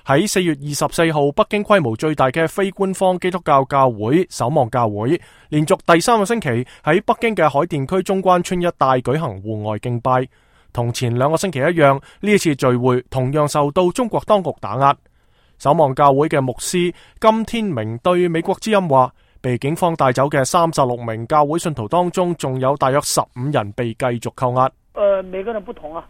喺4月24號，北京規模最大嘅非官方基督教教會守望教會，連續第3個星期喺北京嘅海淀區中關村一帶舉行戶外敬拜。同前2個星期一樣，呢一次聚會同樣受到中國當局打壓。守望教會嘅牧師金天明對美國之音話，被警方帶走嘅36名教會信徒當中，仲有大約15人被繼續扣押。每個人不同啊，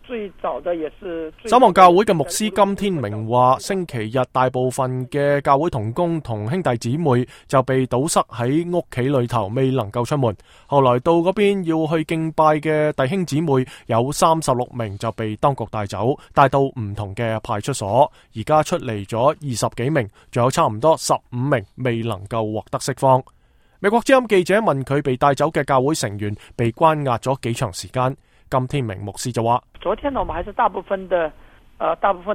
最早的也是守望教會嘅牧師金天明話，星期日大部分嘅教會同工同兄弟姊妹就被堵塞喺屋企裏頭，未能夠出門。後來到嗰邊要去敬拜嘅弟兄姊妹有36名就被當局帶走，帶到唔同嘅派出所。而家出嚟咗20幾名，仲有差唔多15名未能夠獲得釋放。美國之音記者問佢被帶走嘅教會成員被關押咗幾長時間，金天明牧師就話：昨天呢，我們還是大部分的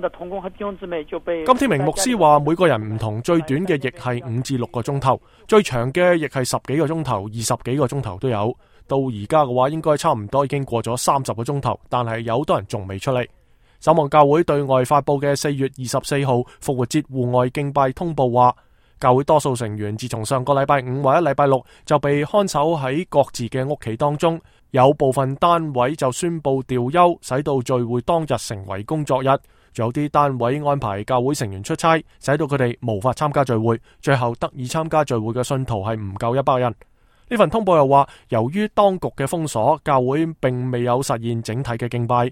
同工和弟兄姊妹就被。金天明牧師話，每個人唔同，最短嘅亦係5至6個鐘頭，最長嘅亦係10幾個鐘頭、20幾個鐘頭都有。到而家嘅話，應該差唔多已經過咗30個鐘頭，但係有好多人仲未出嚟。守望教會對外發佈嘅4月24號復活節戶外敬拜通報話，教會多數成員自從上個禮拜5或者禮拜6就被看守喺各自嘅屋企當中，有部分單位就宣布調休，使到聚會當日成為工作日。仲有啲單位安排教會成員出差，使到佢哋無法參加聚會，最後得以參加聚會嘅信徒係唔夠100人。呢份通報又話，由於當局嘅封鎖，教會並未有實現整體嘅敬拜。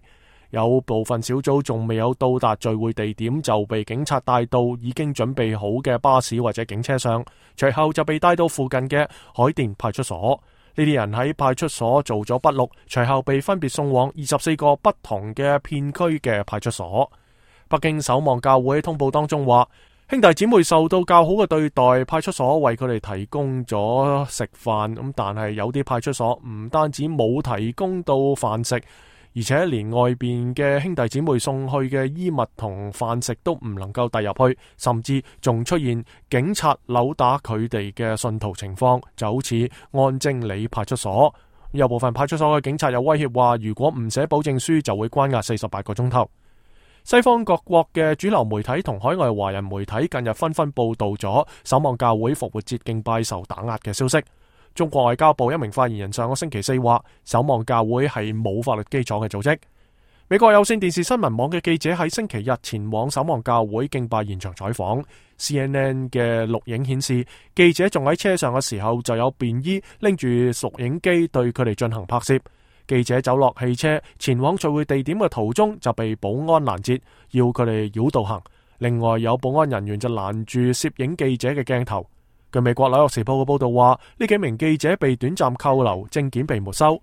有部分小組仲未有到達聚會地點，就被警察帶到已經準備好嘅巴士或者警車上，隨後就被帶到附近嘅海淀派出所。呢啲人喺派出所做咗筆錄，隨後被分別送往24個不同嘅片區嘅派出所。北京守望教會通報當中話，兄弟姊妹受到較好嘅對待，派出所為佢哋提供咗食飯，咁但係有啲派出所唔單止冇提供到飯食，而且連外邊嘅兄弟姊妹送去嘅衣物同飯食都唔能夠帶入去，甚至仲出現警察毆打佢哋嘅信徒情況，就好似安貞里派出所。有部分派出所嘅警察有威脅話，如果唔寫保證書就會關押48個鐘頭。西方各國嘅主流媒體同海外華人媒體近日紛紛報道咗守望教會復活節敬拜受打壓嘅消息。中國外交部一名發言人上個星期4話，守望教會係冇法律基礎嘅組織。美國有線電視新聞網嘅記者喺星期日前往守望教會敬拜現場採訪， CNN 嘅錄影顯示，記者仲喺車上嘅時候就有便衣拎住錄影機對佢哋進行拍攝。記者走落汽車前往聚會地點嘅途中就被保安攔截，要佢哋繞道行。另外有保安人員就攔住攝影記者嘅鏡頭。據美國紐約時報嘅報道話，呢幾名記者被短暫扣留，證件被沒收。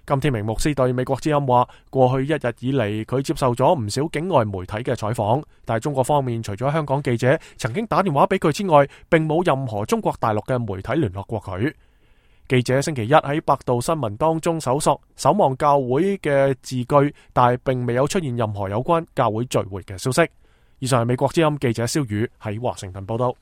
金天明牧師對美國之音話，過去1日以嚟佢接受咗唔少境外媒體嘅採訪，但係中國方面除咗香港記者曾經打電話俾佢之外，並冇任何中國大陸嘅媒體聯絡過佢。記者星期一喺百度新聞當中搜索守望教會嘅字句，但係並未有出現任何有關教會聚會嘅消息。以上係美國之音記者蕭宇喺華盛頓報道。